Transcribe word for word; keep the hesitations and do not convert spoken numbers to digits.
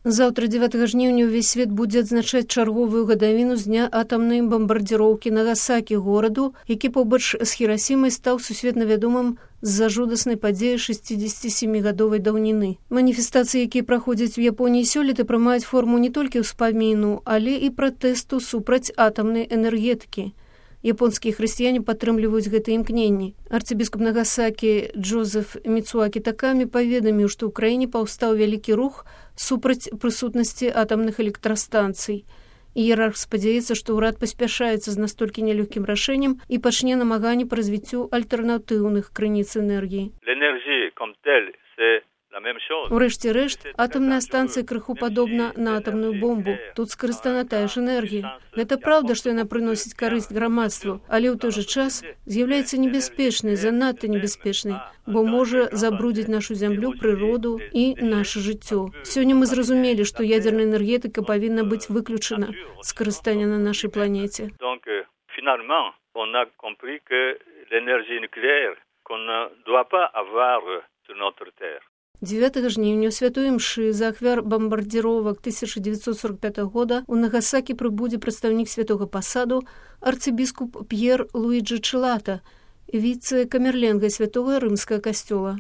Заўтра дзевятага жніўня ўвесь свет будзе адзначаць чарговую гадавіну з дня атамнай бамбардзіроўкі Нагасакі, гораду, які побач з Хірасімай стаў сусветна вядомым з-за жудаснай падзеі шэсцідзесяцісемігадовай даўніны. Маніфестацыі, якія праходзяць у Японіі сёлета, прымаюць форму не толькі ўспаміну, але і пратэсту супраць атамнай энергетыкі. Японскія хрысціяне падтрымліваюць гэтыя імкненні. Арцыбіскуп Нагасакі Джозеф Міцуакі Такамі паведаміў, што ў краіне паўстаў вялікі рух супраць прысутнасці атамных электрастанцый. Іерарх спадзяецца, што ўрад паспяшаецца з настолькі нялёгкім рашэннем і пачне намаганні па развіццю альтэрнатыўных крыніц энергіі. Урэшце рэшт, атамная станцыя крыху падобна на атамную бомбу. Тут скарыстана тая ж энергія. Гэта праўда, што яна прыносіць карысць грамадству, але ў той жа час з'яўляецца небяспечнай, занадта небяспечнай, бо можа забрудзіць нашу зямлю, прыроду і наша жыццё. Сёння мы зразумелі, што ядзерная энергетыка павінна быць выключана з карыстання на нашай планеце. дзевятага жніўня ў святой імшы за ахвяр бамбардзіровак тысяча дзевяцьсот сорок пятага года у Нагасакі прыбудзе прадстаўнік святога пасаду арцыбіскуп П'ер Луіджы Чылата, віцэ-камерленгай святога рымскага касцёла.